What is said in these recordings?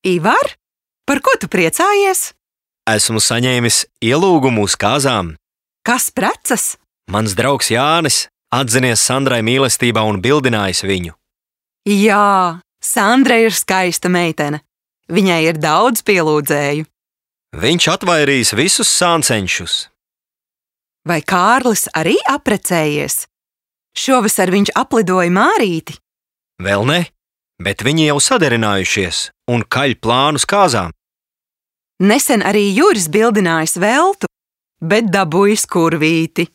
Ivar, par ko tu priecājies? Esmu saņēmis ielūgumu uz kāzām. Kas precas? Mans draugs Jānis atzinies Sandrai mīlestībā un bildinājis viņu. Jā, Sandra ir skaista meitene. Viņai ir daudz pielūdzēju. Viņš atvairīs visus sāncenšus. Vai Kārlis arī apprecējies? Šovasar viņš aplidoja Mārīti. Vēl ne, bet viņi jau saderinājušies un kaļ plānus kāzām. Nesen arī Juris bildinājis Veltu, bet dabūjis kurvīti.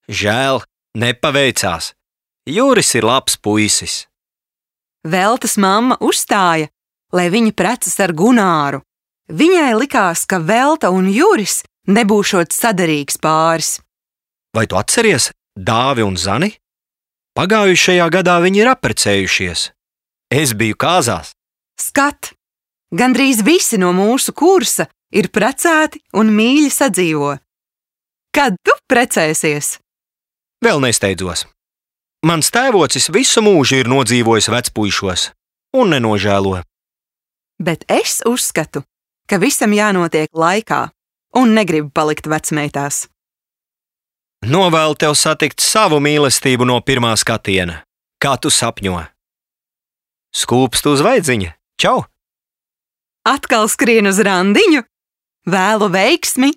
Žēl, nepaveicās. Juris ir labs puisis. Veltas mamma uzstāja, lai viņa precas ar Gunāru. Viņai likās, ka Velta un Juris nebūšot saderīgs pāris. Vai tu atceries Dāvi un Zani? Pagājušajā gadā viņi ir apprecējušies. Es biju kāzās. Skat, gandrīz visi no mūsu kursa ir precēti un mīļi sadzīvo. Kad tu precēsies? Vēl nesteidzos. Mans tēvocis visu mūžu ir nodzīvojis vecpuišos un nenožēlo. Bet es uzskatu, ka visam jānotiek laikā un negribu palikt vecmeitās. Novēlu tev satikt savu mīlestību no pirmā skatiena, kā tu sapņo. Skūpstu uz vaidziņa. Čau! Atkal skrien uz randiņu? Vēlu veiksmi!